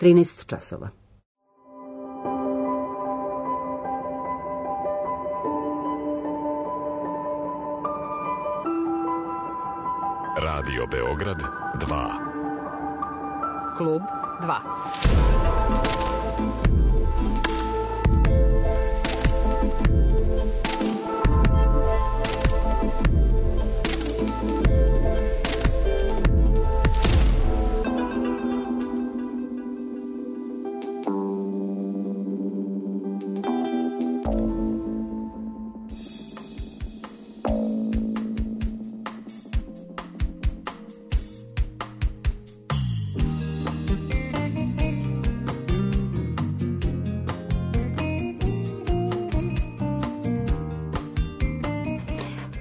13 časova. Radio Beograd 2. Klub 2.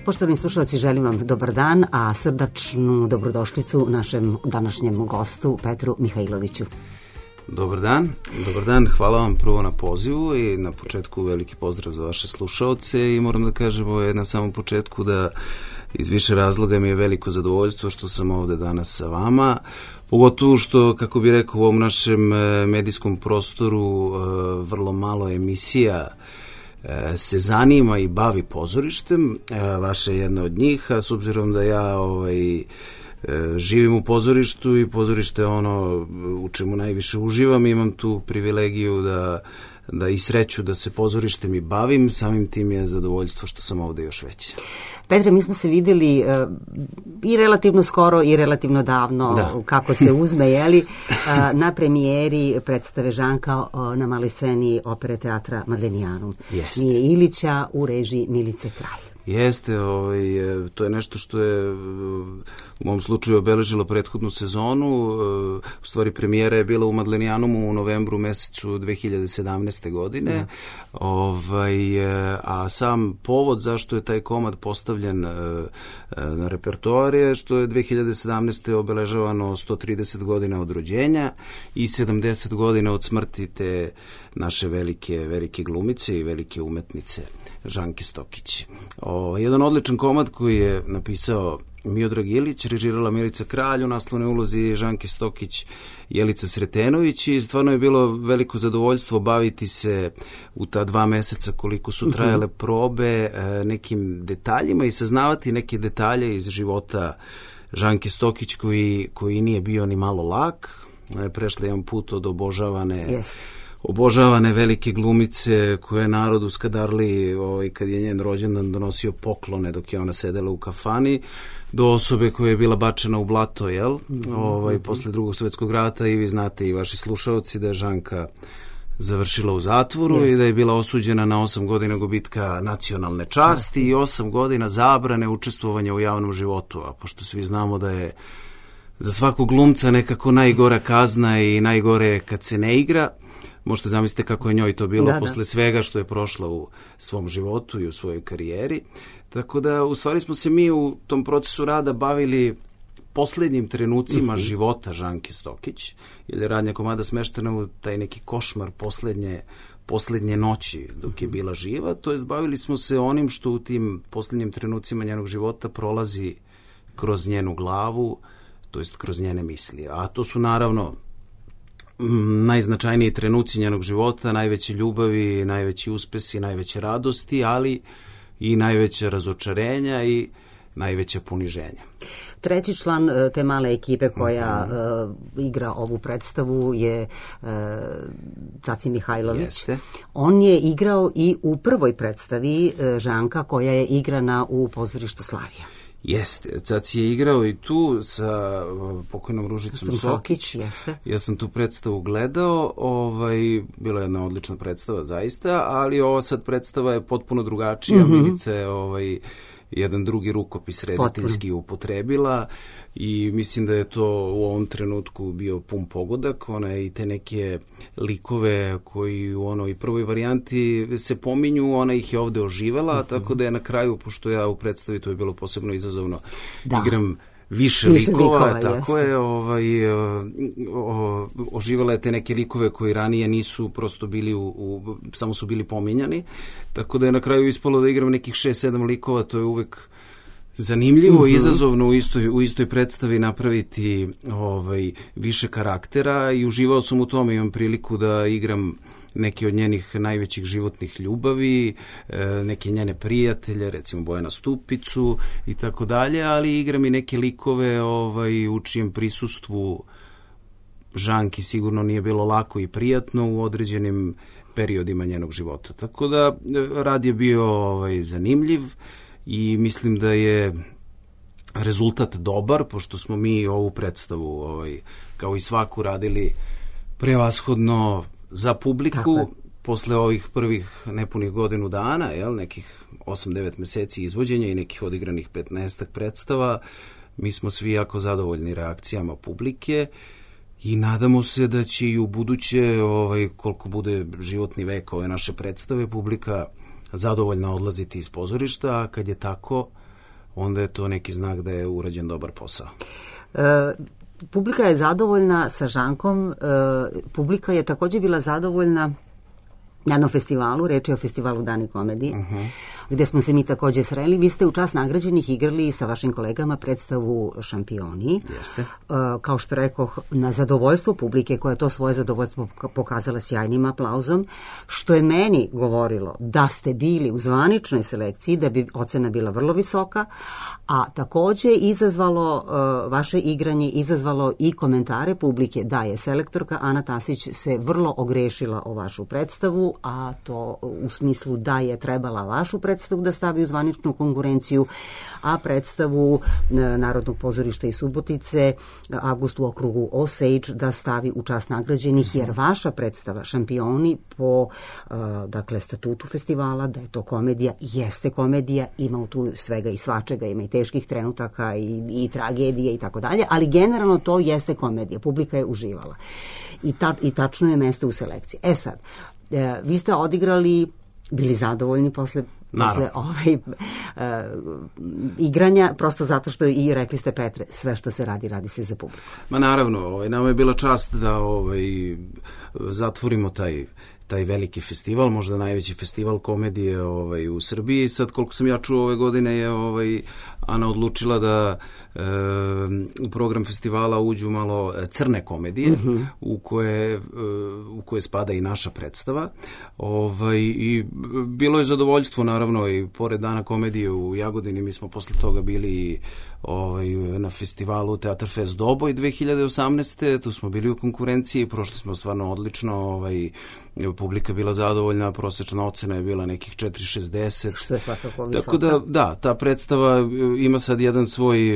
Poštovani slušalci, želim vam dobar dan, a srdačnu dobrodošlicu našem današnjem gostu Petru Mihajloviću. Dobar dan, hvala vam prvo na pozivu i na početku veliki pozdrav za vaše slušaoce i moram da kažem na samom početku da iz više razloga mi je veliko zadovoljstvo što sam ovde danas sa vama, pogotovo što, kako bih rekao, u ovom našem medijskom prostoru vrlo malo emisija se zanima i bavi pozorištem, vaša je jedna od njih, a s obzirom da ja živim u pozorištu i pozorište je ono u čemu najviše uživam, imam tu privilegiju da i sreću da se pozorištem i bavim, samim tim je zadovoljstvo što sam ovde još veće. Petre, mi smo se videli i relativno skoro i relativno davno, kako se uzme, jeli, na premijeri predstave Žanka na maloj sceni Opere teatra Madlenijanum. Mije Ilića u režiji Milice Kralj. Jeste, to je nešto što je u mom slučaju obeležilo prethodnu sezonu. U stvari premijera je bila u Madlenijanumu u novembru mesecu 2017. godine. A sam povod zašto je taj komad postavljen na repertoar je što je 2017. obeležavano 130 godina od rođenja i 70 godina od smrti te naše velike glumice i velike umetnice Žanke Stokić. Jedan odličan komad koji je napisao Miodrag Ilić, režirala Milica Kralj, u naslovnoj ulozi Žanke Stokić, Jelica Sretenović, i stvarno je bilo veliko zadovoljstvo baviti se u ta 2 meseca koliko su trajale probe nekim detaljima i saznavati neke detalje iz života Žanke Stokić koji nije bio ni malo lak. Prešla jedan put od obožavane velike glumice koje je narod u Skadarliji, kad je njen rođendan, donosio poklone dok je ona sedela u kafani, do osobe koja je bila bačena u blato, posle Drugog svjetskog rata, i vi znate i vaši slušaoci da je Žanka završila u zatvoru i da je bila osuđena na 8 godina gubitka nacionalne časti i 8 godina zabrane učestvovanja u javnom životu, a pošto svi znamo da je za svakog glumca nekako najgora kazna i najgore kad se ne igra, možete zamisliti kako je njoj to bilo posle svega što je prošla u svom životu i u svojoj karijeri. Tako da, u stvari smo se mi u tom procesu rada bavili poslednjim trenucima života Žanke Stokić, jer je radnja komada smeštena u taj neki košmar poslednje noći dok je bila živa, to jest bavili smo se onim što u tim poslednjim trenucima njenog života prolazi kroz njenu glavu, to jest kroz njene misli. A to su naravno najznačajniji trenuci njenog života, najveće ljubavi, najveći uspesi, najveće radosti, ali i najveće razočarenja i najveća poniženja. Treći član te male ekipe koja igra ovu predstavu je Caci Mihajlović. Jeste. On je igrao i u prvoj predstavi Žanka koja je igrana u pozorištu Slavija. Jeste, Caci je igrao i tu sa pokojnom Ružicom Sokić. Jeste. Ja sam tu predstavu gledao, bila je jedna odlična predstava zaista, ali ova sad predstava je potpuno drugačija. Milica je jedan drugi rukopis rediteljski upotrebila i mislim da je to u ovom trenutku bio pun pogodak. Ona je i te neke likove koji u onoj prvoj varijanti se pominju, ona ih je ovde oživela, tako da je na kraju, pošto ja u predstavi, to je bilo posebno izazovno, igram više likova, tako je, oživala je te neke likove koji ranije nisu prosto bili samo su bili pominjani, tako da je na kraju ispalo da igram nekih 6-7 likova, to je uvek zanimljivo i izazovno u istoj predstavi napraviti više karaktera i uživao sam u tome, imam priliku da igram neke od njenih najvećih životnih ljubavi, neke njene prijatelje, recimo Bojana Stupicu i tako dalje, ali igram i neke likove u čijem prisustvu Žanki sigurno nije bilo lako i prijatno u određenim periodima njenog života. Tako da rad je bio zanimljiv i mislim da je rezultat dobar, pošto smo mi ovu predstavu kao i svaku radili prevashodno za publiku. Posle ovih prvih nepunih godinu dana, nekih 8-9 meseci izvođenja i nekih odigranih 15 predstava, mi smo svi jako zadovoljni reakcijama publike i nadamo se da će i u buduće, koliko bude životni vek ove naše predstave, publika zadovoljna odlaziti iz pozorišta, a kad je tako, onda je to neki znak da je urađen dobar posao. Publika je zadovoljna sa Žankom, publika je također bila zadovoljna na jednom festivalu, reč je o festivalu Dani komedije, gde smo se mi također sreli. Vi ste u čast nagrađenih igrali sa vašim kolegama predstavu Šampioni. Jeste. Kao što rekoh, na zadovoljstvo publike, koja je to svoje zadovoljstvo pokazala sjajnim aplauzom, što je meni govorilo da ste bili u zvaničnoj selekciji, da bi ocena bila vrlo visoka, a također izazvalo vaše igranje, izazvalo i komentare publike da je selektorka Ana Tasić se vrlo ogrešila o vašu predstavu, a to u smislu da je trebala vašu predstavu da stavi u zvaničnu konkurenciju, a predstavu Narodnog pozorišta iz Subotice Avgust u okrugu Osage da stavi u čast nagrađenih, jer vaša predstava Šampioni po statutu festivala, da je to komedija, jeste komedija, ima tu svega i svačega, ima i teških trenutaka i tragedije i tako dalje, ali generalno to jeste komedija, publika je uživala i tačno je mesto u selekciji. Sad, vi ste odigrali, bili zadovoljni posle igranja, prosto zato što i rekli ste, Petre, sve što se radi, radi se za publiku. Ma naravno, nama je bila čast da zatvorimo taj veliki festival, možda najveći festival komedije u Srbiji. Sad, koliko sam ja čuo, ove godine je Ana odlučila da u program festivala uđu malo crne komedije, u koje spada i naša predstava. I bilo je zadovoljstvo, naravno, i pored Dana komedije u Jagodini, mi smo posle toga bili na festivalu Teatar Fest Doboj 2018. Tu smo bili u konkurenciji, prošli smo stvarno odlično, publika je bila zadovoljna, prosečna ocena je bila nekih 4,60. Što je svakako visoka. Tako da, ta predstava ima sad jedan svoj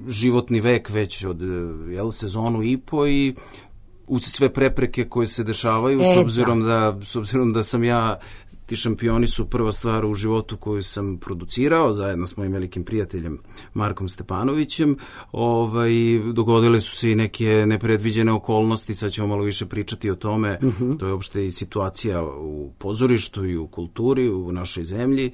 životni vek već od sezonu i po i uz sve prepreke koje se dešavaju, s obzirom da sam ja, ti Šampioni su prva stvar u životu koju sam producirao zajedno s mojim velikim prijateljem Markom Stepanovićem. Dogodile su se i neke nepredviđene okolnosti, sad ćemo malo više pričati o tome. To je uopšte i situacija u pozorištu i u kulturi u našoj zemlji.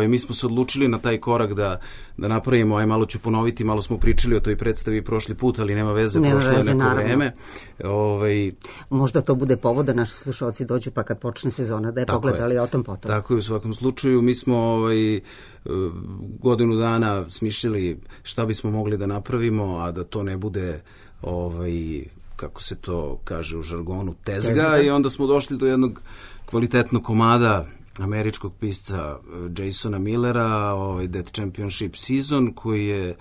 Mi smo se odlučili na taj korak da napravimo, malo ću ponoviti, malo smo pričali o toj predstavi prošli put, ali nema veze, prošlo je neko vreme. Možda to bude povod da naši slušalci dođu, pa kad počne sezona da je pogledali o tom potom. Tako je, u svakom slučaju. Mi smo godinu dana smišljali šta bismo mogli da napravimo, a da to ne bude kako se to kaže u žargonu, tezga, i onda smo došli do jednog kvalitetnog komada američkog pisca Jasona Millera, Dead Championship Season, koji je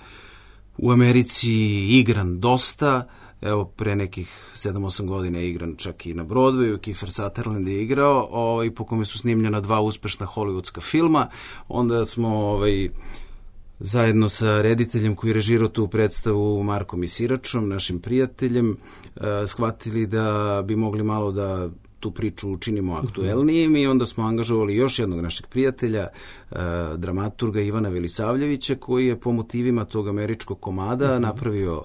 u Americi igran dosta. Evo, pre nekih 7-8 godina je igran čak i na Broadwayu, Kiefer Sutherland je igrao, po kome su snimljena 2 uspešna hollywoodska filma. Onda smo zajedno sa rediteljem koji je režirao tu predstavu, Markom Isiračom, našim prijateljem, shvatili da bi mogli malo da tu priču učinimo aktuelnijim, i onda smo angažovali još jednog našeg prijatelja, dramaturga Ivana Velisavljevića, koji je po motivima tog američkog komada napravio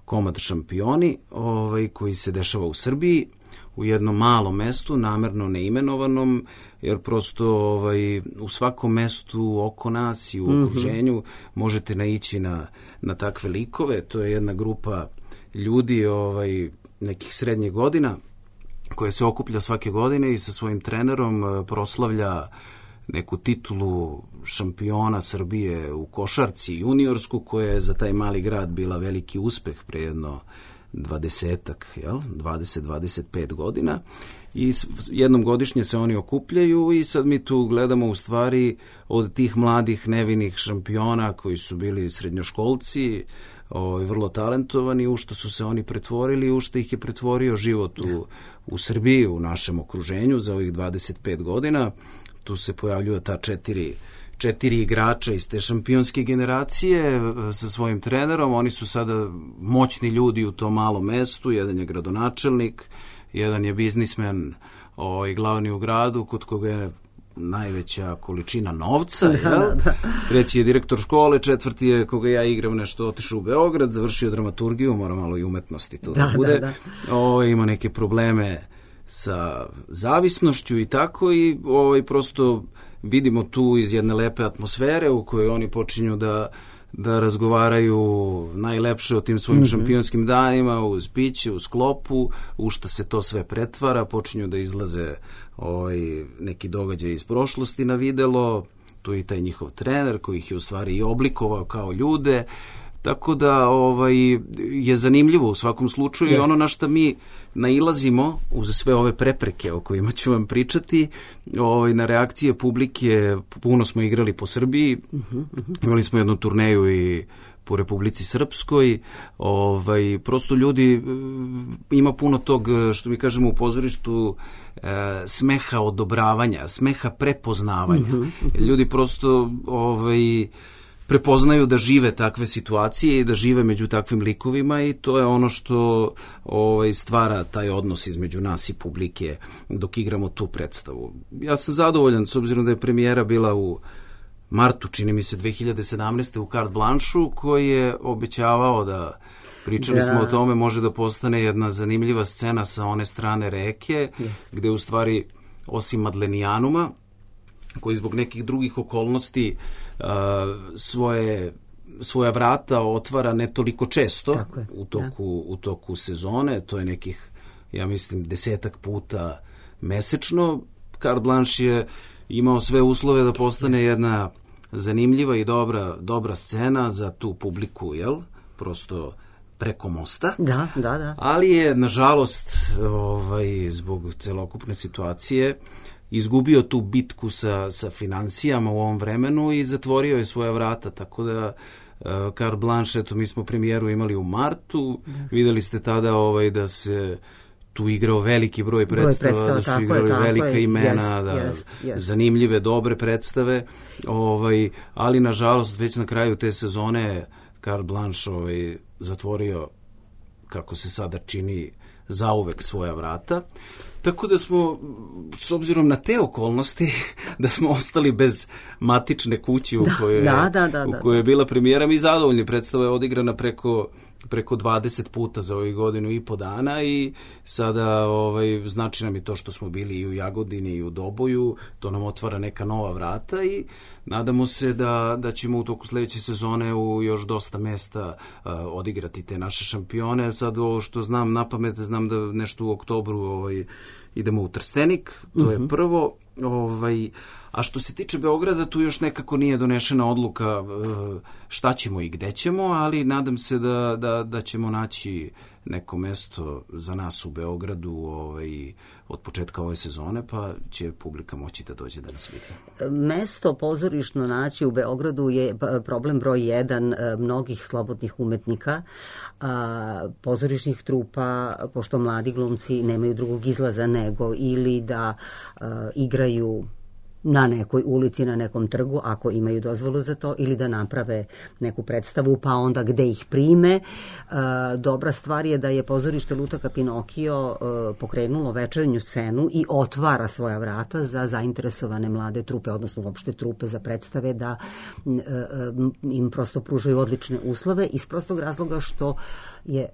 komad Šampioni, koji se dešava u Srbiji, u jednom malom mestu, namerno neimenovanom, jer prosto u svakom mestu oko nas i u okruženju možete naići na takve likove. To je jedna grupa ljudi nekih srednjih godina koja se okuplja svake godine i sa svojim trenerom proslavlja neku titulu šampiona Srbije u košarci juniorsku, koja je za taj mali grad bila veliki uspeh pre jedno 20-25 godina. I jednom godišnje se oni okupljaju i sad mi tu gledamo u stvari od tih mladih nevinih šampiona koji su bili srednjoškolci, vrlo talentovani, u što su se oni pretvorili, u što ih je pretvorio život u Srbiji, u našem okruženju za ovih 25 godina. Tu se pojavljuju ta četiri igrača iz te šampionske generacije sa svojim trenerom. Oni su sada moćni ljudi u tom malom mestu. Jedan je gradonačelnik, jedan je biznismen glavni u gradu, kod koga je najveća količina novca, treći je direktor škole, četvrti je koga ja igram nešto, otišao u Beograd, završio dramaturgiju, mora malo i umetnosti to da bude. Ima neke probleme sa zavisnošću i tako, i prosto vidimo tu iz jedne lepe atmosfere u kojoj oni počinju da razgovaraju najlepše o tim svojim šampionskim danima, uz piće, uz klopu, u što se to sve pretvara, počinju da izlaze neki događaj iz prošlosti na videlo, tu je i taj njihov trener koji ih je u stvari i oblikovao kao ljude, tako da je zanimljivo u svakom slučaju. I ono na što mi nailazimo uz sve ove prepreke o kojima ću vam pričati, na reakcije publike. Puno smo igrali po Srbiji, imali smo jednu turneju i po Republici Srpskoj, prosto ljudi, ima puno tog, što mi kažemo u pozorištu, smeha odobravanja, smeha prepoznavanja. Ljudi prosto prepoznaju da žive takve situacije i da žive među takvim likovima, i to je ono što stvara taj odnos između nas i publike dok igramo tu predstavu. Ja sam zadovoljan s obzirom da je premijera bila u martu, čini mi se 2017. u Carte Blancheu, koji je obećavao da, pričali smo o tome, može da postane jedna zanimljiva scena sa one strane reke, gde u stvari osim Madlenijanuma, koji zbog nekih drugih okolnosti svoja vrata otvara ne toliko često u toku sezone, to je nekih, ja mislim, 10 puta mesečno. Carte Blanche je imao sve uslove da postane jedna zanimljiva i dobra scena za tu publiku, prosto preko mosta. Da. Ali je, nažalost, zbog celokupne situacije izgubio tu bitku sa financijama u ovom vremenu i zatvorio je svoja vrata, tako da Carte Blanche, eto, mi smo premijeru imali u martu, videli ste tada da se tu igrao veliki broj predstava, da su igrali velika imena, zanimljive, dobre predstave, ali nažalost već na kraju te sezone Carte Blanche zatvorio, kako se sada čini, zauvek svoja vrata. Tako da smo, s obzirom na te okolnosti, da smo ostali bez matične kuće u kojoj je bila premijera. Mi zadovoljni, predstava je odigrana preko 20 puta za ovih godinu i po dana, i sada znači nam i to što smo bili i u Jagodini i u Doboju, to nam otvara neka nova vrata, i nadamo se da ćemo u toku sledeće sezone u još dosta mesta odigrati te naše šampione. Sad ovo što znam na pamet, znam da nešto u oktobru idemo u Trstenik, to je prvo. A što se tiče Beograda, tu još nekako nije donešena odluka šta ćemo i gde ćemo, ali nadam se da ćemo naći neko mesto za nas u Beogradu od početka ove sezone, pa će publika moći da dođe da nas vidi. Mesto pozorišno naći u Beogradu je problem broj 1 mnogih slobodnih umetnika, pozorišnih trupa, pošto mladi glumci nemaju drugog izlaza nego ili da igraju na nekoj ulici, na nekom trgu, ako imaju dozvolu za to, ili da naprave neku predstavu, pa onda gde ih prime. Dobra stvar je da je pozorište Lutaka Pinokio pokrenulo večernju scenu i otvara svoja vrata za zainteresovane mlade trupe, odnosno uopšte trupe za predstave, da im prosto pružaju odlične uslove, iz prostog razloga što je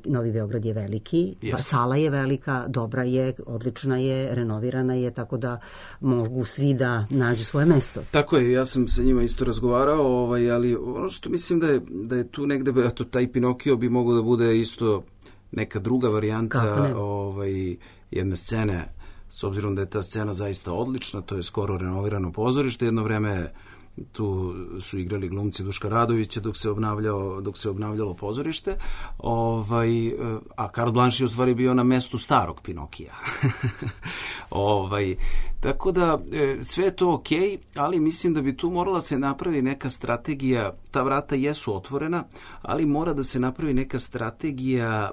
Novi Beograd je veliki, sala je velika, dobra je, odlična je, renovirana je, tako da mogu svi da nađu svoje mesto. Tako je, ja sam sa njima isto razgovarao, ali ono što mislim da je tu negde, eto, taj Pinokio bi mogao da bude isto neka druga varijanta jedne scene s obzirom da je ta scena zaista odlična, to je skoro renovirano pozorište, jedno vreme tu su igrali glumci Duška Radovića dok se obnavljalo pozorište, a Karl Blanche je u stvari bio na mestu starog Pinokija. Tako da sve je to okej, ali mislim da bi tu morala se napravi neka strategija, ta vrata jesu otvorena, ali mora da se napravi neka strategija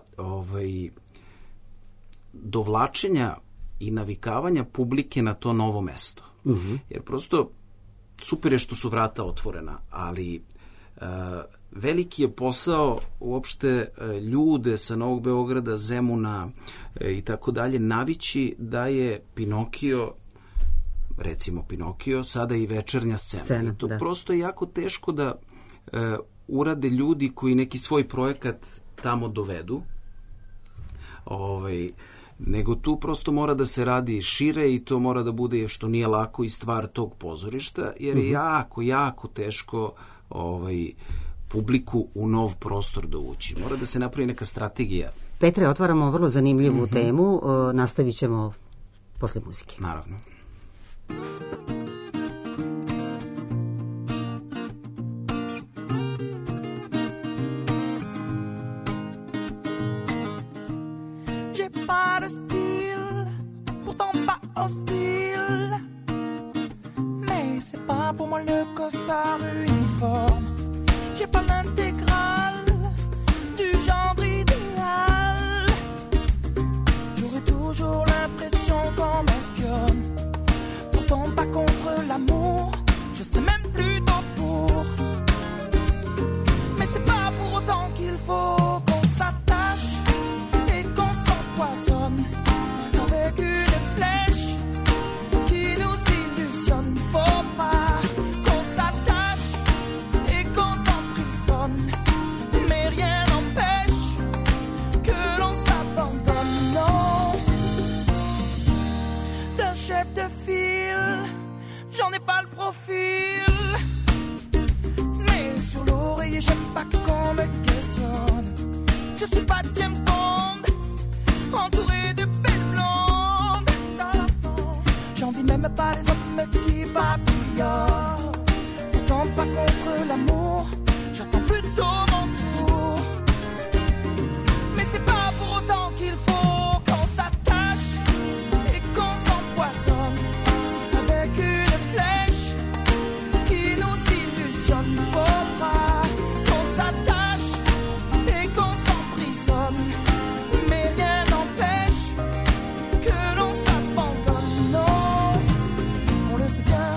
dovlačenja i navikavanja publike na to novo mesto. Jer prosto super je što su vrata otvorena, ali veliki je posao uopšte ljude sa Novog Beograda, Zemuna i tako dalje navići da je Pinokio, recimo Pinokio, sada i večernja scena. I to prosto je jako teško da urade ljudi koji neki svoj projekat tamo dovedu, nego tu prosto mora da se radi šire i to mora da bude, što nije lako, i stvar tog pozorišta, jer je jako, jako teško publiku u nov prostor dovući. Mora da se napravi neka strategija. Petre, otvaramo vrlo zanimljivu temu, nastavit ćemo posle muzike. Naravno. Pas de style, pourtant pas hostile. Mais c'est pas pour moi le costard uniforme. J'ai pas l'intégrale du genre idéal. J'aurais toujours l'impression qu'on m'espionne. Pourtant pas contre l'amour, je sais même plutôt pour. Mais c'est pas pour autant qu'il faut qu'on s'attache et qu'on s'empoisonne avec une flèche qui nous illusionne. Faut pas qu'on s'attache et qu'on s'emprisonne, mais rien n'empêche que l'on s'abandonne. Non, d'un chef de file, j'en ai pas le profil, mais sur l'oreiller j'aime pas qu'on me questionne. Je suis pas James Bond, entouré de belles blondes. J'envie même pas les hommes qui papillonnent. Pourtant pas contre l'amour, j'attends plutôt mon tour. Mais c'est pas pour autant qu'il faut qu'on s'attache et qu'on s'empoisonne avec une flèche qui nous illusionne. Faut pas qu'on s'attache et qu'on s'emprisonne, mais rien n'empêche que l'on s'abandonne. Non, on le sait bien,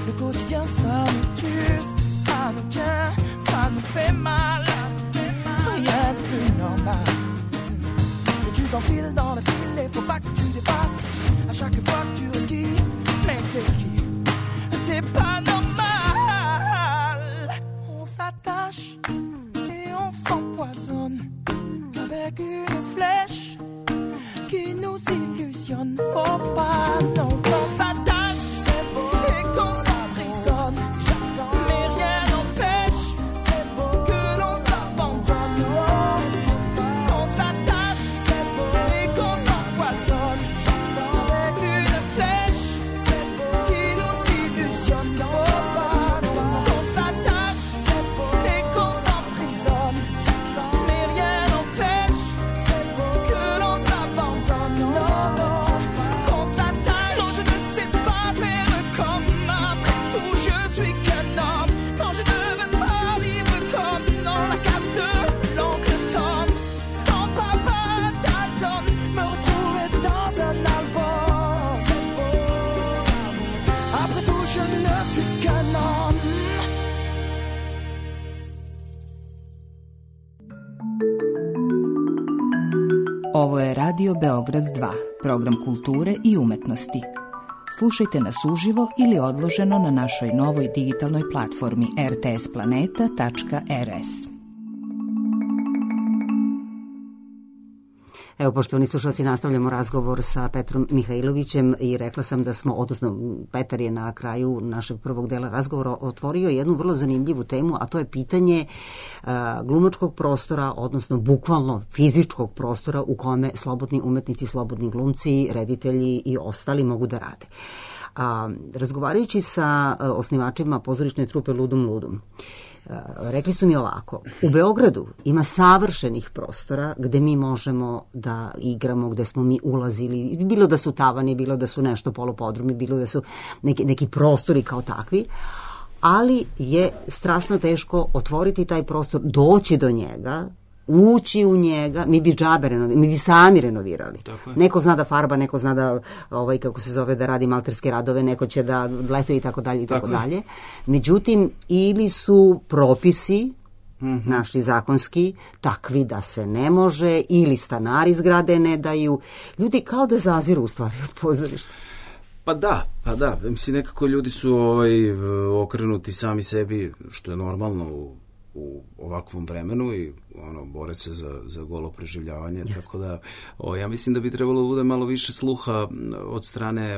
le quotidien ça nous tue, ça nous tient, ça nous fait mal. Rien de plus normal. Et tu t'enfiles dans le fil et faut pas que tu dépasses. À chaque fois que tu esquives, mais t'es qui? T'es pas normal. On s'attache et on s'empoisonne avec une flèche qui nous illusionne. Faut pas non qu'on s'attache et qu'on s'emprisonne, mais rien n'empêche que l'on s'abandonne. Qu'on s'attache et qu'on s'empoisonne avec une flèche qui nous illusionne. Faut pas qu'on s'attache et qu'on s'emprisonne, mais rien n'empêche que l'on s'abandonne. Non, qu'on s'attache. Non, je ne sais pas faire comme après tout, je suis qu'un homme. Non, je ne veux pas vivre comme dans la case de l'oncle Tom. Quand papa t'adonne, me retrouver dans un album. Après tout, je ne suis qu'un homme. Ovo je Radio Beograd 2, program kulture i umetnosti. Slušajte nas uživo ili odloženo na našoj novoj digitalnoj platformi rtsplaneta.rs. Evo, poštovani slušalci, nastavljamo razgovor sa Petrom Mihajlovićem i rekla sam da smo, odnosno Petar je na kraju našeg prvog dela razgovora otvorio jednu vrlo zanimljivu temu, a to je pitanje glumačkog prostora, odnosno bukvalno fizičkog prostora u kome slobodni umetnici, slobodni glumci, reditelji i ostali mogu da rade. Razgovarajući sa osnivačima pozorišne trupe Ludum Ludum, rekli su mi ovako: u Beogradu ima savršenih prostora gde mi možemo da igramo, gde smo mi ulazili, bilo da su tavani, bilo da su nešto polupodrumi, bilo da su neki prostori kao takvi, ali je strašno teško otvoriti taj prostor, doći do njega, ući u njega. Mi bi mi bi sami renovirali. Neko zna da farba, neko zna da kako se zove, da radi malterske radove, neko će da letuje i tako dalje i tako dalje. Međutim, ili su propisi naši zakonski takvi da se ne može, ili stanari zgrade ne daju. Ljudi kao da zaziru u stvari od pozorišta. Pa da, mislim, nekako ljudi su okrenuti sami sebi, što je normalno u ovakvom vremenu, i bore se za golo preživljavanje, tako da ja mislim da bi trebalo da bude malo više sluha od strane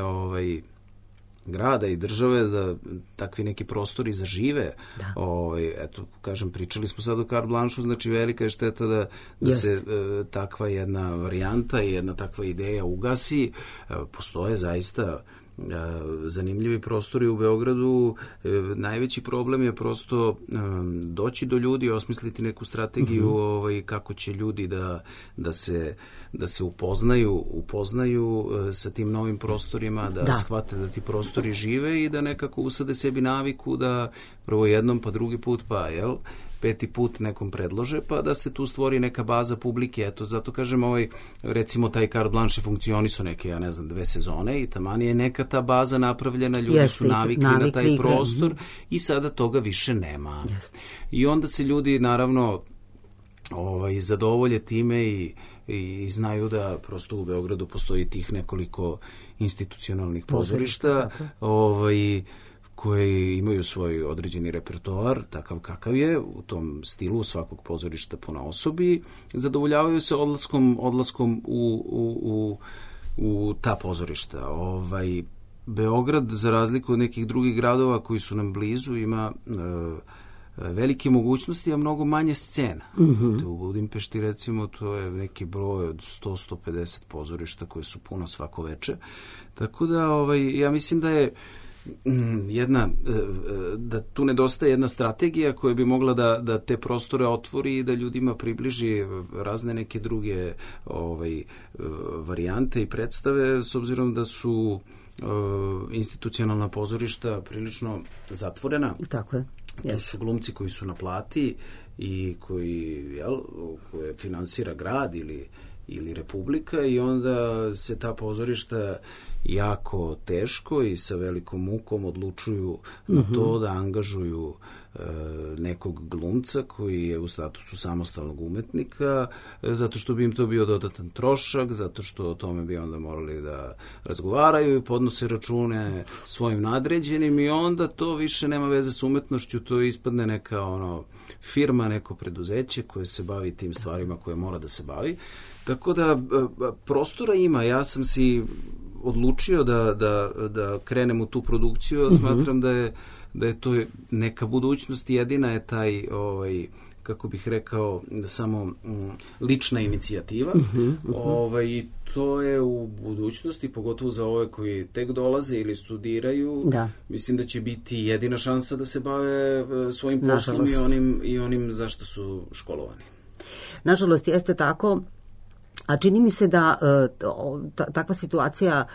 grada i države da takvi neki prostori zažive. Eto, kažem, pričali smo sad o carte blanche, znači velika je šteta da se takva jedna varijanta i jedna takva ideja ugasi. Postoje zaista zanimljivi prostori u Beogradu. Najveći problem je prosto doći do ljudi, osmisliti neku strategiju kako će ljudi da se upoznaju sa tim novim prostorima, da shvate da ti prostori žive i da nekako usade sebi naviku da prvo jednom, pa drugi put, pa peti put nekom predlože, pa da se tu stvori neka baza publike. Eto, zato kažem, recimo taj carte blanche funkcionisao neke, 2 sezone i taman je neka ta baza napravljena, ljudi su navikli na taj prostor i sada toga više nema. I onda se ljudi, naravno, zadovolje time i znaju da prosto u Beogradu postoji tih nekoliko institucionalnih pozorišta, koje imaju svoj određeni repertoar, takav kakav je, u tom stilu svakog pozorišta po osobi, zadovoljavaju se odlaskom u ta pozorišta. Beograd, za razliku od nekih drugih gradova koji su nam blizu, ima velike mogućnosti, a mnogo manje scena. U Budimpešti, recimo, to je neki broj od 100-150 pozorišta koje su puna svako veče. Tako da, ja mislim da je da tu nedostaje jedna strategija koja bi mogla da te prostore otvori i da ljudima približi razne neke druge varijante i predstave, s obzirom da su institucionalna pozorišta prilično zatvorena. Tako je. To su glumci koji su na plati i koje finansira grad ili republika, i onda se ta pozorišta jako teško i sa velikom mukom odlučuju na to da angažuju nekog glumca koji je u statusu samostalnog umetnika, zato što bi im to bio dodatan trošak, zato što o tome bi onda morali da razgovaraju i podnose račune svojim nadređenim, i onda to više nema veze s umetnošću, to ispadne neka firma, neko preduzeće koje se bavi tim stvarima koje mora da se bavi. Tako da prostora ima. Ja sam si odlučio da krenem u tu produkciju, a smatram da je to neka budućnost, jedina je taj, kako bih rekao, samo lična inicijativa. I to je u budućnosti, pogotovo za ove koji tek dolaze ili studiraju, mislim da će biti jedina šansa da se bave svojim poslom i onim za što su školovani. Nažalost, jeste tako. A čini mi se da takva situacija,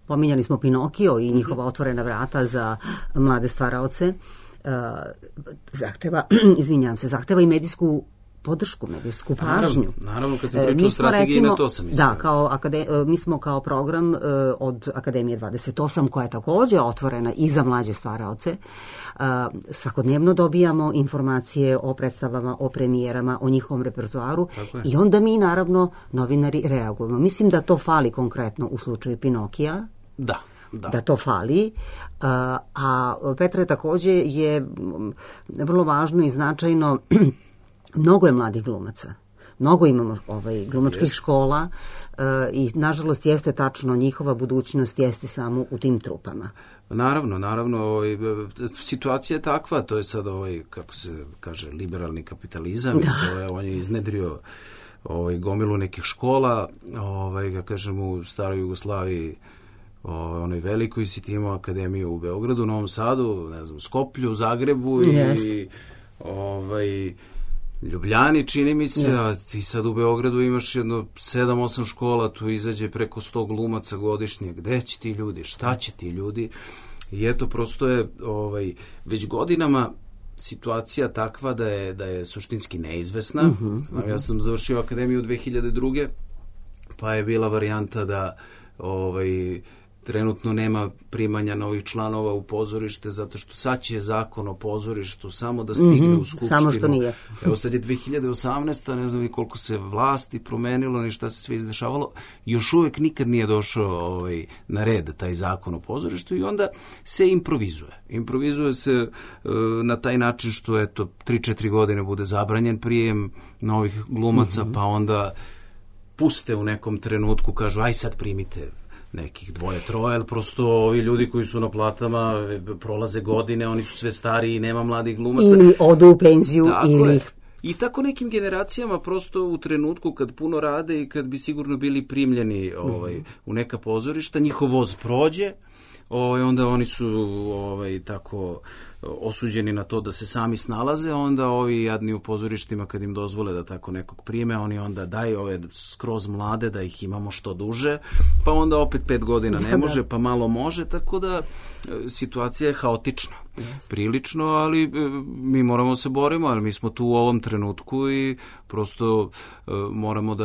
pominjali smo Pinokio i njihova otvorena vrata za mlade stvaraoce, zahteva i medijsku podršku, medijsku pažnju. Naravno, kad sam pričao o strategiji, na to sam mislila. Da, mi smo kao program od Akademije 28, koja je također otvorena i za mlađe stvaraoce, svakodnevno dobijamo informacije o predstavama, o premijerama, o njihovom repertoaru, i onda mi, naravno, novinari reagujemo. Mislim da to fali konkretno u slučaju Pinokija. Da to fali, a Petre, također je vrlo važno i značajno, mnogo je mladih glumaca. Mnogo imamo glumačkih škola i nažalost jeste tačno, njihova budućnost jeste samo u tim trupama. Naravno, situacija je takva, to je sad kako se kaže, liberalni kapitalizam, on je iznedrio gomilu nekih škola, ga kažem, u staroj Jugoslaviji, onoj velikoj, si ti imao akademiju u Beogradu, Novom Sadu, ne znam, Skoplju, Zagrebu i Ljubljani, čini mi se, a ti sad u Beogradu imaš jedno 7-8 škola, tu izađe preko 100 glumaca godišnje. Gde će ti ljudi? Šta će ti ljudi? I eto, prosto je već godinama situacija takva da je suštinski neizvesna. Ja sam završio akademiju 2002. pa je bila varijanta da trenutno nema primanja novih članova u pozorište, zato što sad će zakon o pozorištu samo da stigne u Skupštinu. Samo što nije. Evo sad je 2018. ne znam ni koliko se vlasti promenilo, ni šta se sve izdešavalo. Još uvek nikad nije došao na red taj zakon o pozorištu i onda se improvizuje. Improvizuje se na taj način što 3-4 godine bude zabranjen prijem novih glumaca, pa onda puste u nekom trenutku, kažu aj sad primite nekih 2-3, ali prosto ovi ljudi koji su na platama prolaze godine, oni su sve stariji i nema mladih glumaca. Ili odu u penziju. I tako nekim generacijama prosto u trenutku kad puno rade i kad bi sigurno bili primljeni u neka pozorišta, njihov voz prođe, onda oni su tako osuđeni na to da se sami snalaze, onda ovi jadni u pozorištima kad im dozvole da tako nekog prime, oni onda daju ove skroz mlade da ih imamo što duže, pa onda opet 5 godina ne može, pa malo može, tako da situacija je haotična. Prilično, ali mi moramo se borimo, ali mi smo tu u ovom trenutku i prosto moramo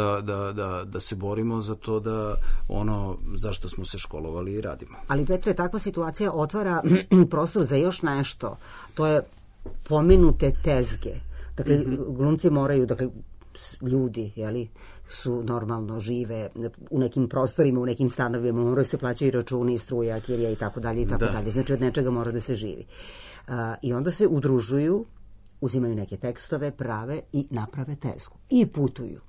da se borimo za to da ono zašto smo se školovali i radimo. Ali Petre, takva situacija otvara prostor za još nešto. To je pomenute tezge. Dakle, glumci moraju, ljudi, su normalno žive u nekim prostorima, u nekim stanovima, moraju se plaćaju računi, struja, kirija i tako dalje i tako dalje. Znači, od nečega mora da se živi. I onda se udružuju, uzimaju neke tekstove, prave i naprave tezgu. I putuju.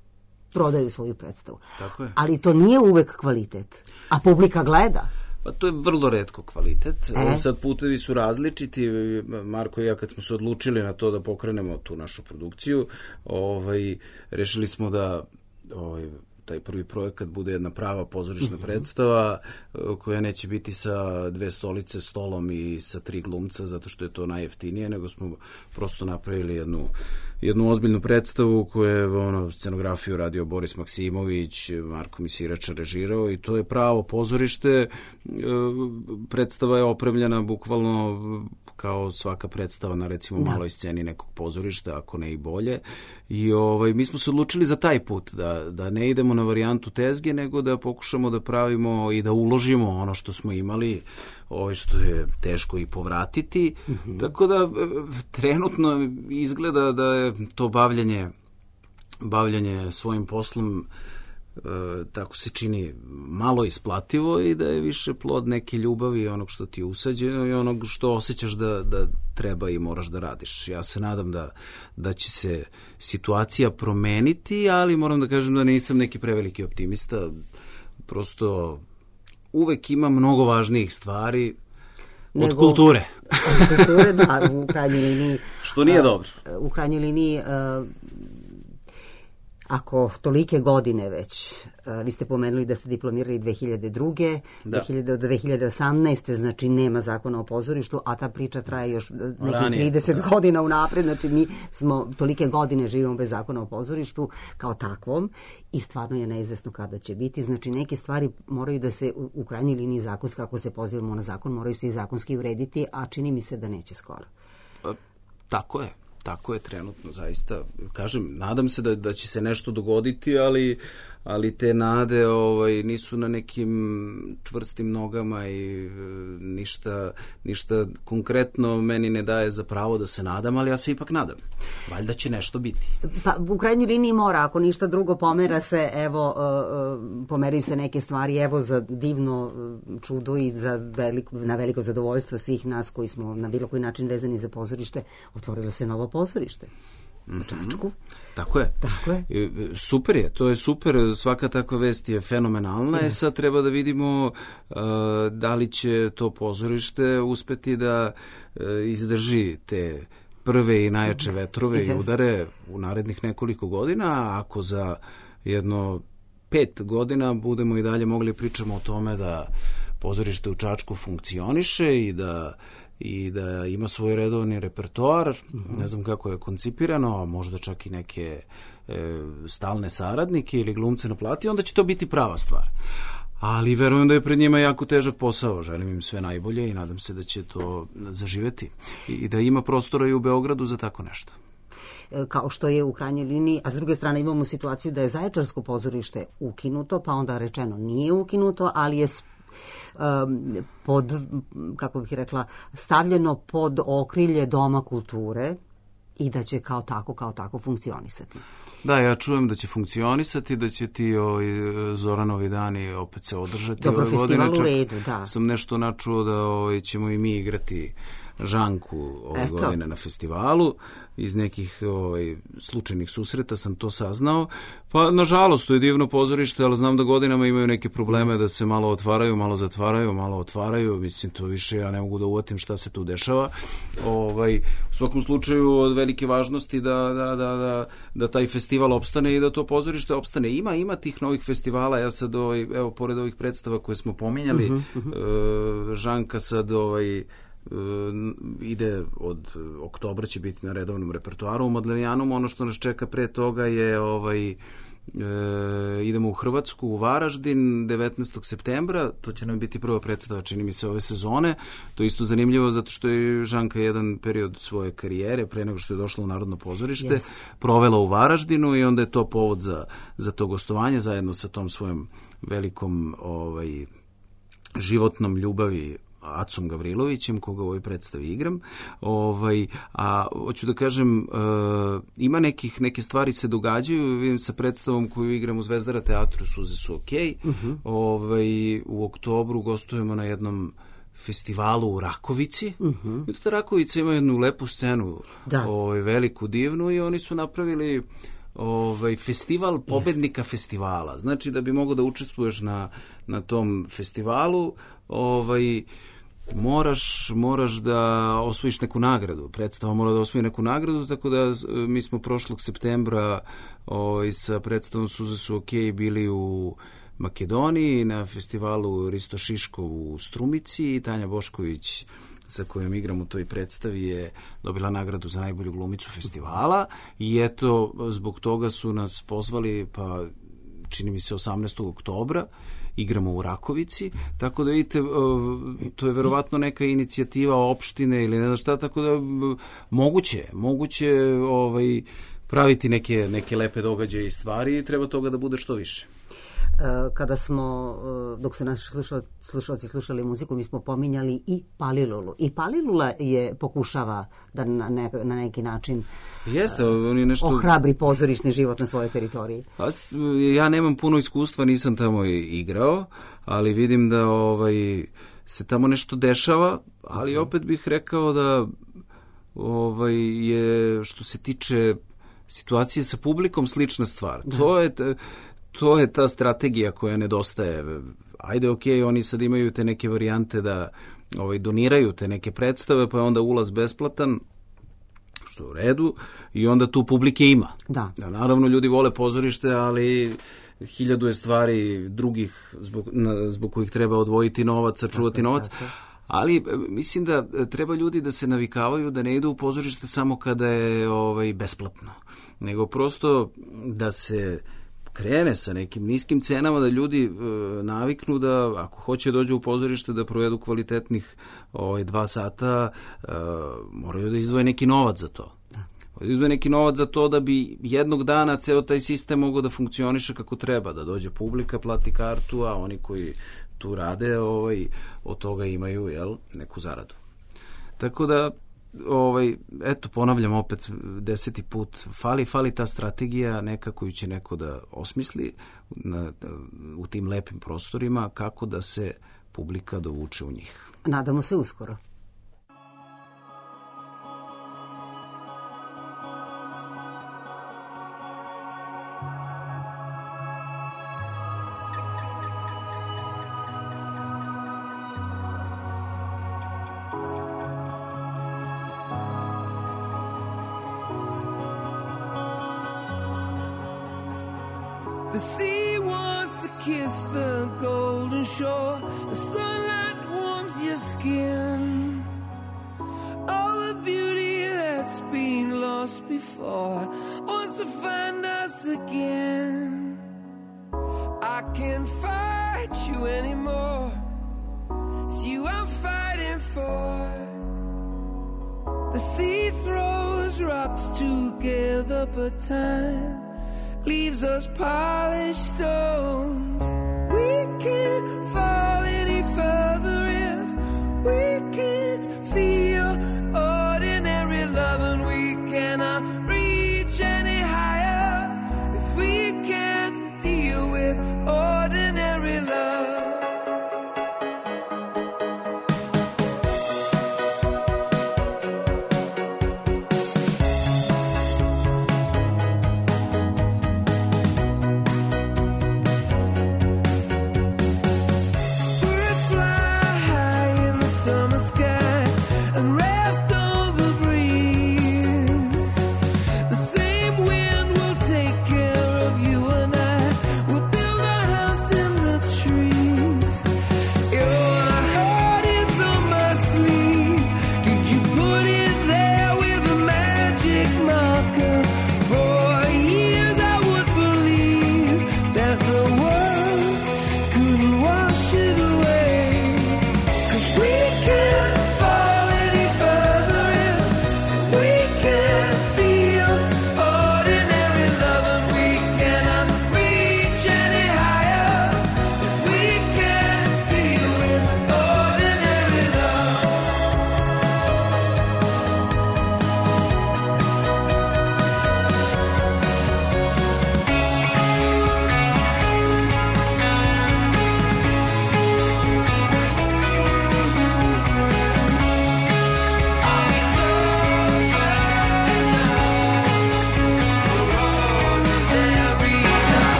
Prodaju svoju predstavu. Tako je. Ali to nije uvek kvalitet. A publika gleda. Pa to je vrlo retko kvalitet. Sad putevi su različiti. Marko i ja kad smo se odlučili na to da pokrenemo tu našu produkciju, rešili smo da taj prvi projekat bude jedna prava pozorišna predstava koja neće biti sa 2 stolice, stolom i sa 3 glumca zato što je to najjeftinije, nego smo prosto napravili jednu ozbiljnu predstavu koju je scenografiju radio Boris Maksimović, Marko Misirača režirao i to je pravo pozorište. Predstava je opremljena bukvalno kao svaka predstava na recimo maloj sceni nekog pozorišta, ako ne i bolje. I mi smo se odlučili za taj put, da ne idemo na varijantu tezge, nego da pokušamo da pravimo i da uložimo ono što smo imali, što je teško i povratiti. Tako da trenutno izgleda da je to bavljanje svojim poslom tako se čini malo isplativo i da je više plod neke ljubavi onog što ti je usađeno i onog što osjećaš da treba i moraš da radiš. Ja se nadam da će se situacija promeniti, ali moram da kažem da nisam neki preveliki optimista. Prosto uvek ima mnogo važnijih stvari od kulture. Od kulture, da, u krajnjoj liniji. Što nije dobro. U krajnjoj liniji ako tolike godine već, vi ste pomenuli da ste diplomirali 2002. Do 2018. znači nema zakona o pozorištu, a ta priča traje još nekih 30 godina unapred, znači mi smo tolike godine živimo bez zakona o pozorištu kao takvom i stvarno je neizvesno kada će biti, znači neke stvari moraju da se u krajnjoj liniji zakonski, ako se pozivamo na zakon, moraju se i zakonski urediti, a čini mi se da neće skoro. Tako je. Tako je trenutno, zaista. Kažem, nadam se da će se nešto dogoditi, ali te nade nisu na nekim čvrstim nogama i ništa konkretno meni ne daje za pravo da se nadam, ali ja se ipak nadam. Valjda će nešto biti. Pa u krajnjoj liniji mora, ako ništa drugo pomera se, pomeraju se neke stvari, za divno čudo i na veliko zadovoljstvo svih nas koji smo na bilo koji način vezani za pozorište, otvorilo se novo pozorište. u Čačku. Tako je. Super je, to je super, svaka takva vest je fenomenalna. Sad treba da vidimo da li će to pozorište uspeti da izdrži te prve i najjače vetrove i udare u narednih nekoliko godina, a ako za jedno 5 godina budemo i dalje mogli pričamo o tome da pozorište u Čačku funkcioniše i da ima svoj redovni repertoar, ne znam kako je koncipirano, a možda čak i neke stalne saradnike ili glumce na plati, onda će to biti prava stvar. Ali verujem da je pred njima jako težak posao, želim im sve najbolje i nadam se da će to zaživeti i da ima prostora i u Beogradu za tako nešto. Kao što je u krajnjoj liniji, a s druge strane imamo situaciju da je Zaječarsko pozorište ukinuto, pa onda rečeno nije ukinuto, ali je pod, kako bih rekla, stavljeno pod okrilje Doma kulture i da će kao tako funkcionisati. Da, ja čujem da će funkcionisati, da će ti Zoranovi dani opet se održati. Dobro, festival u redu, da. Sam nešto načuo da ćemo i mi igrati Žanku ove godine na festivalu. Iz nekih slučajnih susreta sam to saznao. Pa, nažalost, to je divno pozorište, ali znam da godinama imaju neke probleme da se malo otvaraju, malo zatvaraju, malo otvaraju. Mislim, to više ja ne mogu da uvatim šta se tu dešava. U svakom slučaju, od velike važnosti da taj festival opstane i da to pozorište opstane. Ima tih novih festivala. Ja sad, evo, pored ovih predstava koje smo pominjali, Žanka sad ide od oktobra, će biti na redovnom repertoaru u Modlenijanum. Ono što nas čeka pre toga je idemo u Hrvatsku, u Varaždin 19. septembra, to će nam biti prva predstava, čini mi se, ove sezone. To je isto zanimljivo zato što je Žanka jedan period svoje karijere, pre nego što je došla u Narodno pozorište, provela u Varaždinu i onda je to povod za to gostovanje zajedno sa tom svojom velikom životnom ljubavi Acom Gavrilovićem, koga u ovoj predstavi igram. A hoću da kažem, ima neke stvari se događaju, vidim sa predstavom koju igram u Zvezdara teatru, Suze su okej. U oktobru gostujemo na jednom festivalu u Rakovici. I ta Rakovica ima jednu lepu scenu, veliku, divnu, i oni su napravili festival pobednika festivala. Znači, da bi mogao da učestvuješ na tom festivalu, moraš da osvojiš neku nagradu. Predstava mora da osvoji neku nagradu, tako da mi smo prošlog septembra sa predstavom Suze su okej bili u Makedoniji na festivalu Risto Šiškov u Strumici i Tanja Bošković, sa kojom igram u toj predstavi, je dobila nagradu za najbolju glumicu festivala i eto, zbog toga su nas pozvali, pa čini mi se 18. oktobra igramo u Rakovici, tako da vidite, to je verovatno neka inicijativa opštine ili ne znam šta, tako da moguće praviti neke lepe događaje i stvari i treba toga da bude što više. Kada smo, dok su naši slušalci slušali muziku, mi smo pominjali i Palilulu. I Palilula pokušava da na neki način ohrabri pozorišni život na svojoj teritoriji. Ja nemam puno iskustva, nisam tamo igrao, ali vidim da se tamo nešto dešava, ali opet bih rekao da je, što se tiče situacije sa publikom, slična stvar. To je ta strategija koja nedostaje. Ajde, okej, oni sad imaju te neke varijante da doniraju te neke predstave, pa je onda ulaz besplatan, što je u redu, i onda tu publike ima. Da. Naravno, ljudi vole pozorište, ali 1000 je stvari drugih zbog kojih treba odvojiti novac, sačuvati novac. Ali mislim da treba ljudi da se navikavaju da ne idu u pozorište samo kada je besplatno, nego prosto da se krene sa nekim niskim cenama, da ljudi naviknu da ako hoće dođu u pozorište da provedu kvalitetnih 2 sata, moraju da izdvoje neki novac za to. Izdvoje neki novac za to da bi jednog dana ceo taj sistem mogao da funkcioniše kako treba, da dođe publika, plati kartu, a oni koji tu rade od toga imaju neku zaradu. Tako da eto, ponavljam opet 10. put, fali ta strategija neka koju će neko da osmisli u tim lepim prostorima, kako da se publika dovuče u njih. Nadamo se uskoro. The sea wants to kiss the golden shore. The sunlight warms your skin. All the beauty that's been lost before wants to find us again. I can't fight you anymore. It's you I'm fighting for. The sea throws rocks together, but time leaves us polished stones. We can't fall any further if we can't feel ordinary love, and we cannot reach any higher if we can't deal with ordinary love.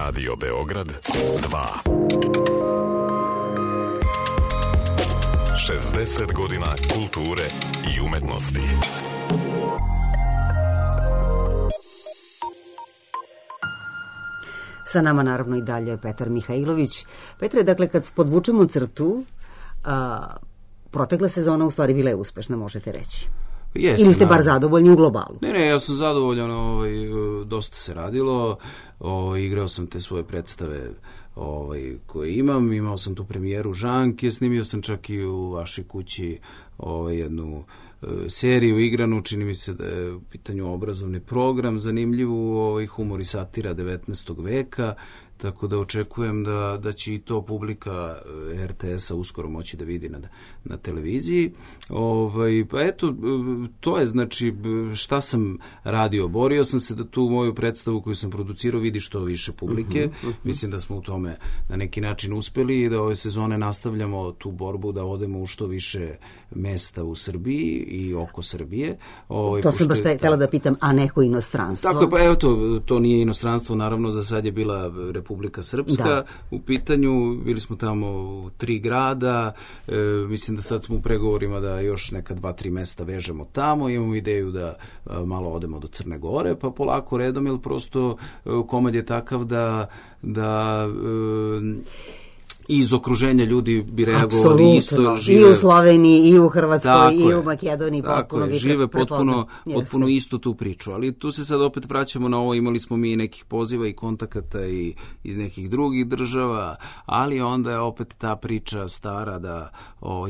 Radio Beograd 2. 60 godina kulture i umetnosti. Sa nama naravno i dalje Petar Mihajlović. Petre, dakle, kad podvučemo crtu, protekla sezona u stvari bila je uspešna, možete reći. Jeste, ili ste bar zadovoljni u globalu? Ne, ja sam zadovoljan, dosta se radilo, igrao sam te svoje predstave koje imao sam tu premijeru Žanke, snimio sam čak i u vašoj kući jednu seriju igranu, čini mi se da je u pitanju obrazovni program, zanimljivu, humor i satira 19. veka, tako da očekujem da će i to publika RTS-a uskoro moći da vidi na televiziji. Pa eto, to je znači šta sam radio. Borio sam se da tu moju predstavu koju sam producirao vidi što više publike. Mislim da smo u tome na neki način uspeli i da ove sezone nastavljamo tu borbu da odemo u što više mesta u Srbiji i oko Srbije. To sam baš htjela da pitam, a neko inostranstvo? Tako je, pa evo to nije inostranstvo, naravno za sad je bila Republika Srpska u pitanju, bili smo tamo u 3 grada, mislim da sad smo u pregovorima da još neka 2-3 mesta vežemo tamo, imamo ideju da malo odemo do Crne Gore, pa polako redom, jer prosto komad je takav da iz okruženja ljudi bi reagovali isto. Žive, i u Sloveniji, i u Hrvatskoj, i u Makedoniji. Tako je, žive potpuno istu tu priču. Ali tu se sad opet vraćamo na ovo, imali smo mi nekih poziva i kontakata i iz nekih drugih država, ali onda je opet ta priča stara da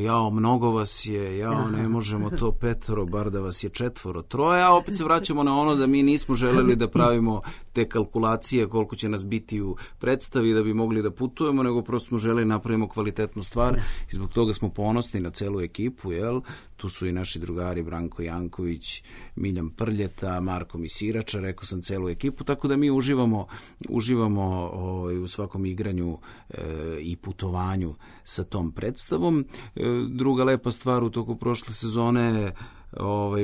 jao, mnogo vas je, jao, ne možemo to 5, bar da vas je 4, 3, a opet se vraćamo na ono da mi nismo želeli da pravimo te kalkulacije koliko će nas biti u predstavi da bi mogli da putujemo, nego prosto smo želeli napravimo kvalitetnu stvar i zbog toga smo ponosni na celu ekipu, jel? Tu su i naši drugari Branko Janković, Miljan Prljeta, Marko Misirača, rekao sam celu ekipu, tako da mi uživamo u svakom igranju i putovanju sa tom predstavom. Druga lepa stvar u toku prošle sezone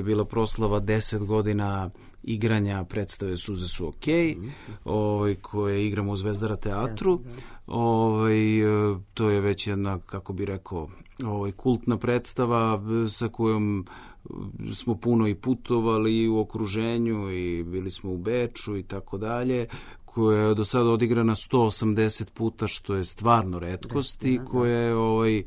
bila proslava 10 godina igranja predstave Suze su okej, koje igramo u Zvezdara teatru. To je već jedna, kako bi rekao, kultna predstava sa kojom smo puno i putovali u okruženju i bili smo u Beču i tako dalje, koja je do sada odigrana 180 puta, što je stvarno retkost i koja je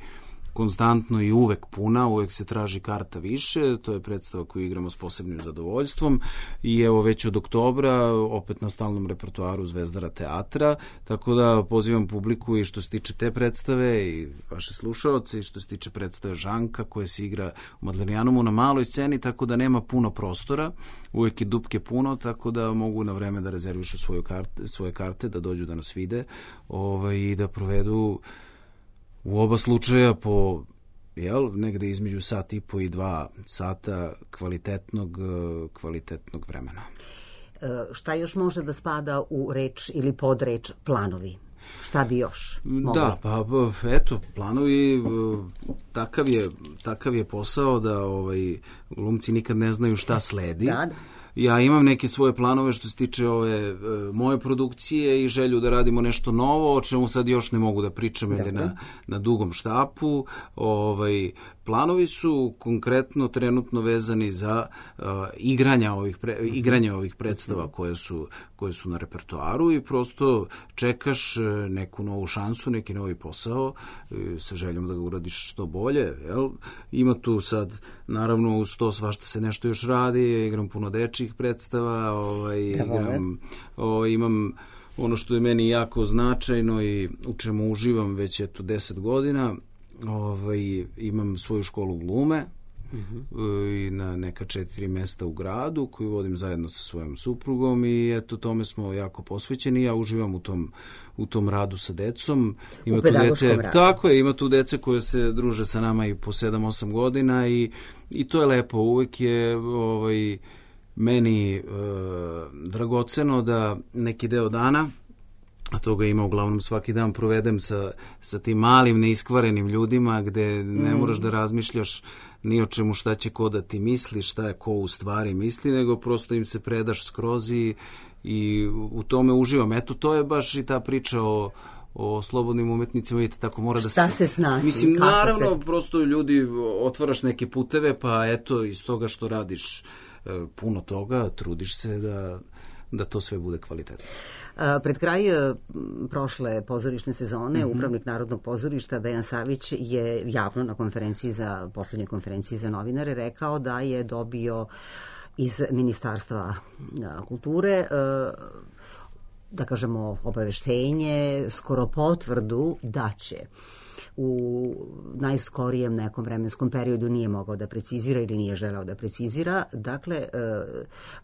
konstantno i uvek puna, uvek se traži karta više, to je predstava koju igramo s posebnim zadovoljstvom i evo već od oktobra opet na stalnom repertoaru Zvezdara teatra, tako da pozivam publiku i što se tiče te predstave i vaše slušaoce i što se tiče predstave Žanka koja se igra u Madlenijanumu na maloj sceni, tako da nema puno prostora, uvek je dupke puno, tako da mogu na vreme da rezervišu svoje karte, da dođu da nas vide i da provedu u oba slučaja po negde između 1,5 i 2 sata kvalitetnog vremena. Šta još može da spada u reč ili podreč planovi? Šta bi još mogli? Da, pa eto, planovi, takav je posao da glumci nikad ne znaju šta sledi. Da. Ja imam neke svoje planove što se tiče ove moje produkcije i želju da radimo nešto novo, o čemu sad još ne mogu da pričam na dugom štapu. Planovi su konkretno trenutno vezani za igranje ovih predstava koje su na repertoaru i prosto čekaš neku novu šansu, neki novi posao sa željom da ga uradiš što bolje. Jel? Ima tu sad, naravno, uz to svašta se nešto još radi, igram puno dečjih predstava, imam ono što je meni jako značajno i u čemu uživam već 10 godina, imam svoju školu glume i na neka 4 mesta u gradu koju vodim zajedno sa svojom suprugom i eto tome smo jako posvećeni. Ja uživam u tom radu sa decom. U pedagoškom radu. Tako je, ima tu dece koje se druže sa nama i po 7-8 godina i to je lepo. Uvek je meni dragoceno da neki deo dana, a toga ima uglavnom svaki dan, provedem sa tim malim neiskvarenim ljudima gde ne moraš da razmišljaš ni o čemu šta će ko da ti misli, šta je ko u stvari misli, nego prosto im se predaš skroz i u tome uživam. Eto, to je baš i ta priča o slobodnim umetnicima, vidite, tako mora da se... Šta se snaći? Mislim, naravno, prosto ljudi otvaraš neke puteve, pa eto, iz toga što radiš puno toga, trudiš se da to sve bude kvalitetno. Pred kraj prošle pozorišne sezone upravnik Narodnog pozorišta Dejan Savić je javno na poslednjoj konferenciji za novinare rekao da je dobio iz Ministarstva kulture da kažemo obaveštenje, skoro potvrdu da će u najskorijem nekom vremenskom periodu, nije mogao da precizira ili nije želeo da precizira. Dakle,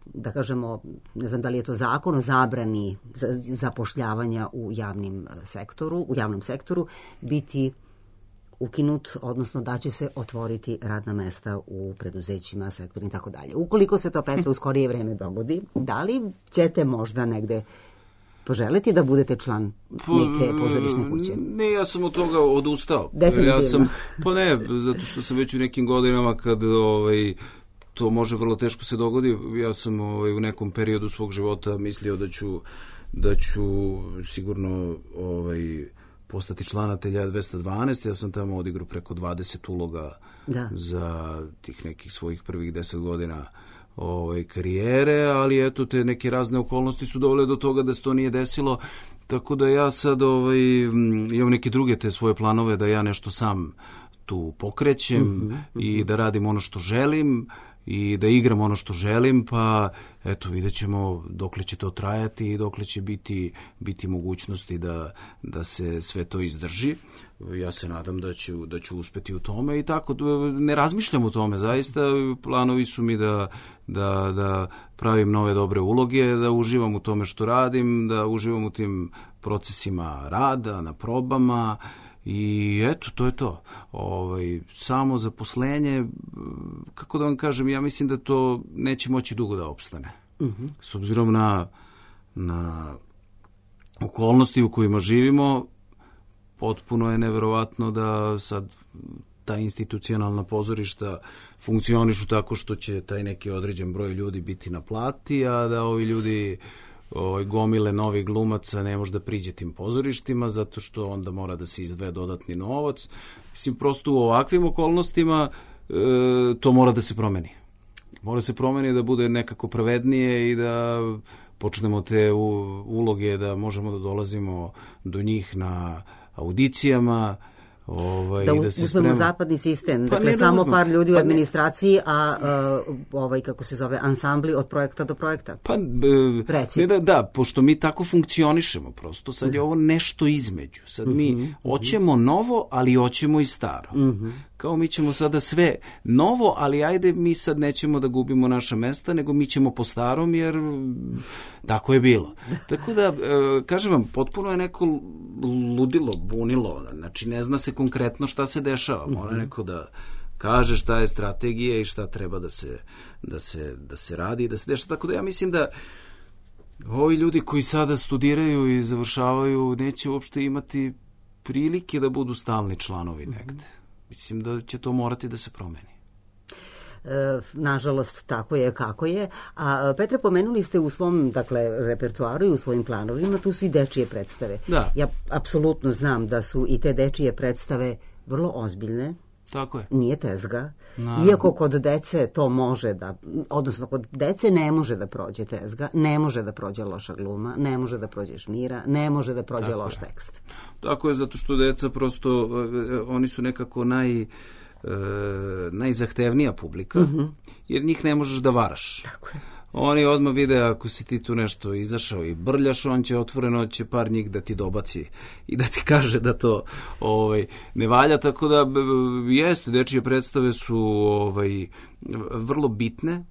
da kažemo, ne znam da li je to zakon o zabrani zapošljavanja u javnom sektoru, biti ukinut, odnosno da će se otvoriti radna mesta u preduzećima, sektorima i tako dalje. Ukoliko se to, Petra, u skorije vreme dogodi, da li ćete možda negde poželiti da budete član neke pozorišne kuće? Ne, ja sam od toga odustao. Definitivno. Zato što sam već u nekim godinama kad to može vrlo teško se dogodi. Ja sam u nekom periodu svog života mislio da ću sigurno postati član Ateljea 212. Ja sam tamo odigrao preko 20 uloga za tih nekih svojih prvih 10 godina karijere, ali eto, te neke razne okolnosti su dovele do toga da se to nije desilo, Tako da ja sad imam neke druge te svoje planove da ja nešto sam tu pokrećem i da radim ono što želim i da igram ono što želim, pa eto vidjet ćemo dokle će to trajati i dokle će biti mogućnosti da se sve to izdrži. Ja se nadam da ću uspeti u tome i tako, ne razmišljam o tome, zaista planovi su mi da pravim nove dobre uloge, da uživam u tome što radim, da uživam u tim procesima rada, na probama. I eto, to je to. Samo zaposlenje, kako da vam kažem, ja mislim da to neće moći dugo da opstane. S obzirom na okolnosti u kojima živimo, potpuno je neverovatno da sad ta institucionalna pozorišta funkcionišu tako što će taj neki određen broj ljudi biti na plati, a da ovi ljudi gomile novih glumaca ne može da priđe tim pozorištima zato što onda mora da se izdvaja dodatni novac. Mislim, prosto u ovakvim okolnostima to mora da se promeni. Mora se promeni da bude nekako pravednije i da počnemo te uloge da možemo da dolazimo do njih na audicijama, da uzmemo zapadni sistem, dakle samo par ljudi u administraciji, a kako se zove, ansambli od projekta do projekta. Da, pošto mi tako funkcionišemo prosto, sad je ovo nešto između. Sad mi hoćemo novo, ali hoćemo i staro. Kao mi ćemo sada sve novo, ali ajde mi sad nećemo da gubimo naša mesta, nego mi ćemo po starom, jer tako je bilo. Tako da, kažem vam, potpuno je neko ludilo, bunilo, znači ne zna se konkretno šta se dešava, mora neko da kaže šta je strategija i šta treba da se radi i da se dešava. Tako da ja mislim da ovi ljudi koji sada studiraju i završavaju neće uopšte imati prilike da budu stalni članovi negde. Mislim da će to morati da se promeni. Nažalost, tako je kako je. A Petre, pomenuli ste u svom repertoaru i u svojim planovima, tu su i dečije predstave. Da. Ja apsolutno znam da su i te dečije predstave vrlo ozbiljne. Tako je. Nije tezga. Iako kod dece to može odnosno kod dece ne može da prođe tezga, ne može da prođe loša gluma, ne može da prođe šmira, ne može da prođe loš tekst. Tako je, zato što deca prosto, oni su nekako najzahtevnija publika, jer njih ne možeš da varaš. Tako je. Oni odmah vide ako si ti tu nešto izašao i brljaš, on će otvoreno par njih da ti dobaci i da ti kaže da to ne valja, tako da jeste, dečije predstave su vrlo bitne.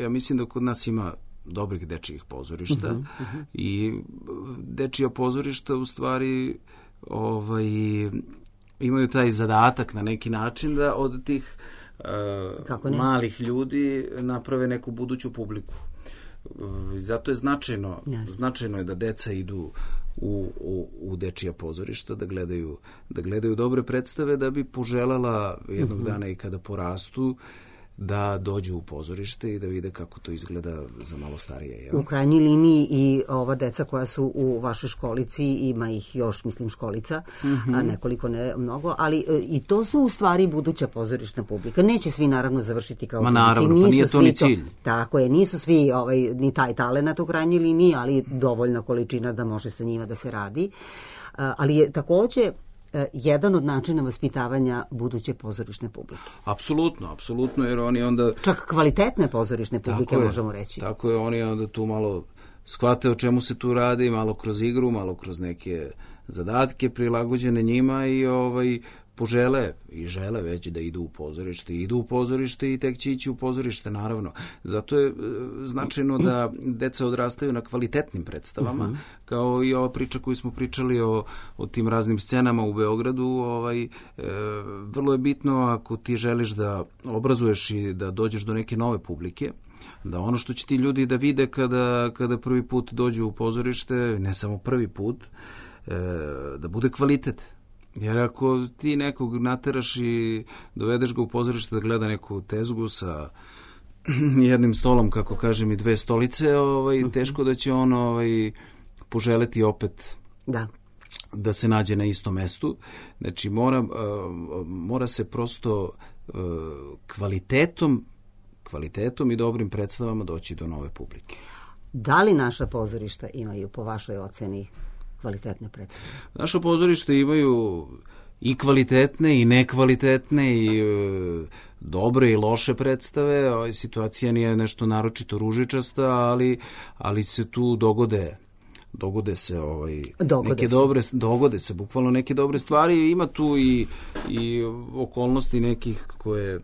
Ja mislim da kod nas ima dobrih dečijih pozorišta i dečija pozorišta u stvari imaju taj zadatak na neki način da od tih malih ljudi naprave neku buduću publiku. Zato je značajno je da deca idu u dečija pozorišta, da gledaju dobre predstave, da bi poželjela jednog dana i kada porastu da dođu u pozorište i da vide kako to izgleda za malo starije. Jel? U krajnjoj liniji i ova deca koja su u vašoj školici, ima ih još, mislim, školica, a nekoliko, ne mnogo, ali i to su u stvari buduća pozorišna publika. Neće svi naravno završiti kao klinici. Naravno, pa nije to ni cilj. Tako je, nisu svi ni taj talenat u krajnjoj liniji, ali dovoljna količina da može sa njima da se radi. Ali je takođe jedan od načina vaspitavanja buduće pozorišne publike. Apsolutno, jer oni onda... Čak kvalitetne pozorišne publike, možemo reći. Tako je, oni onda tu malo shvate o čemu se tu radi, malo kroz igru, malo kroz neke zadatke prilagođene njima i požele i žele već da idu u pozorište i tek će ići u pozorište, naravno. Zato je značajno da deca odrastaju na kvalitetnim predstavama, kao i ova priča koju smo pričali o tim raznim scenama u Beogradu. Vrlo je bitno, ako ti želiš da obrazuješ i da dođeš do neke nove publike, da ono što će ti ljudi da vide kada prvi put dođu u pozorište, ne samo prvi put, da bude kvalitet. Jer ako ti nekog nateraš i dovedeš ga u pozorište da gleda neku tezgu sa jednim stolom, kako kažem, i dve stolice, teško da će on poželeti opet da se nađe na istom mestu. Znači mora se prosto kvalitetom i dobrim predstavama doći do nove publike. Da li naša pozorišta imaju, po vašoj oceni, kvalitetne predstave? Naša pozorišta imaju i kvalitetne i nekvalitetne i dobre i loše predstave. Situacija nije nešto naročito ružičasta, ali se tu dogode se bukvalno neke dobre stvari. Ima tu i okolnosti nekih koje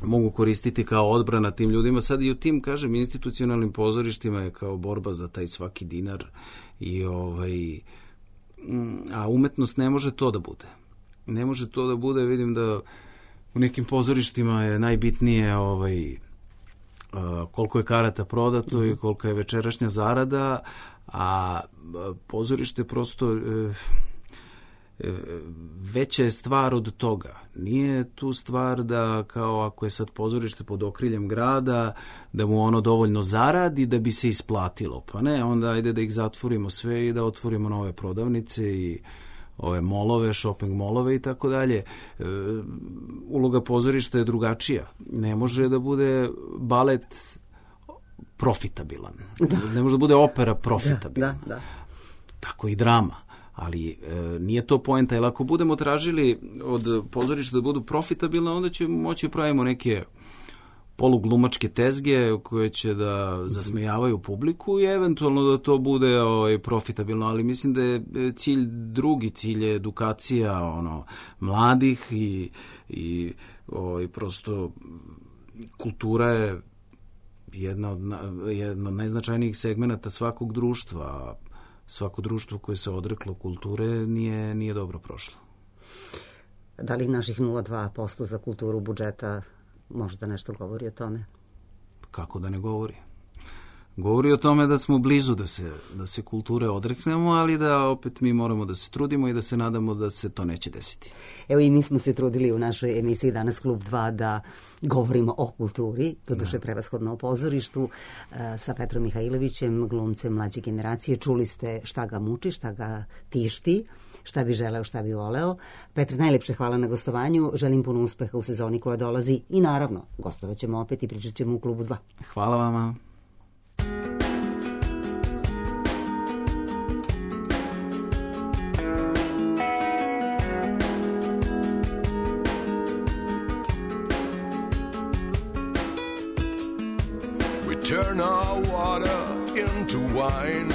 mogu koristiti kao odbrana tim ljudima. Sad i u tim, kažem, institucionalnim pozorištima je kao borba za taj svaki dinar a umetnost ne može to da bude. Ne može to da bude, vidim da u nekim pozorištima je najbitnije koliko je karata prodato i kolika je večerašnja zarada, a pozorište prosto veća je stvar od toga. Nije tu stvar da kao ako je sad pozorište pod okriljem grada, da mu ono dovoljno zaradi da bi se isplatilo. Pa ne, onda ajde da ih zatvorimo sve i da otvorimo nove prodavnice i ove molove, shopping molove i tako dalje. Uloga pozorišta je drugačija. Ne može da bude balet profitabilan. Ne može da bude opera profitabilan. Tako i drama. Ali nije to poenta, jer ako budemo tražili od pozorišta da budu profitabilne, onda ćemo moći pravimo neke poluglumačke tezge koje će da zasmejavaju publiku i eventualno da to bude profitabilno, ali mislim da je cilj je edukacija mladih i prosto kultura je jedna od najznačajnijih segmenata svakog društva. Svako društvo koje se odreklo kulture nije dobro prošlo. Da li naših 0,2% za kulturu budžeta možda nešto govori o tome? Kako da ne govori? Govori o tome da smo blizu da se kulture odreknemo, ali da opet mi moramo da se trudimo i da se nadamo da se to neće desiti. Evo i mi smo se trudili u našoj emisiji danas Klub 2 da govorimo o kulturi, doduše prevashodno o pozorištu, sa Petrom Mihajlovićem, glumcem mlađe generacije. Čuli ste šta ga muči, šta ga tišti, šta bi želeo, šta bi voleo. Petre, najlepše hvala na gostovanju. Želim puno uspeha u sezoni koja dolazi i naravno, gostovat ćemo opet i pričat ćemo u Klubu 2. Hvala vama. Turn our water into wine.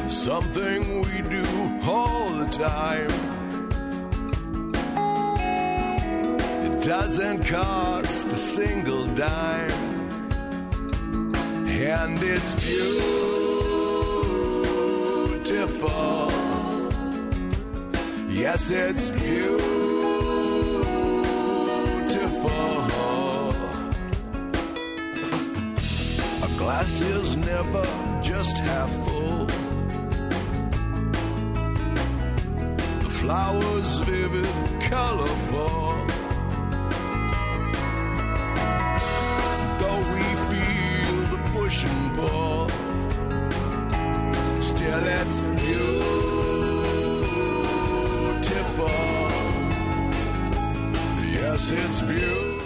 It's something we do all the time. It doesn't cost a single dime. And it's beautiful. Yes, it's beautiful. Glass is never just half full. The flowers vivid, colorful. Though we feel the push and pull, still it's beautiful. Yes, it's beautiful.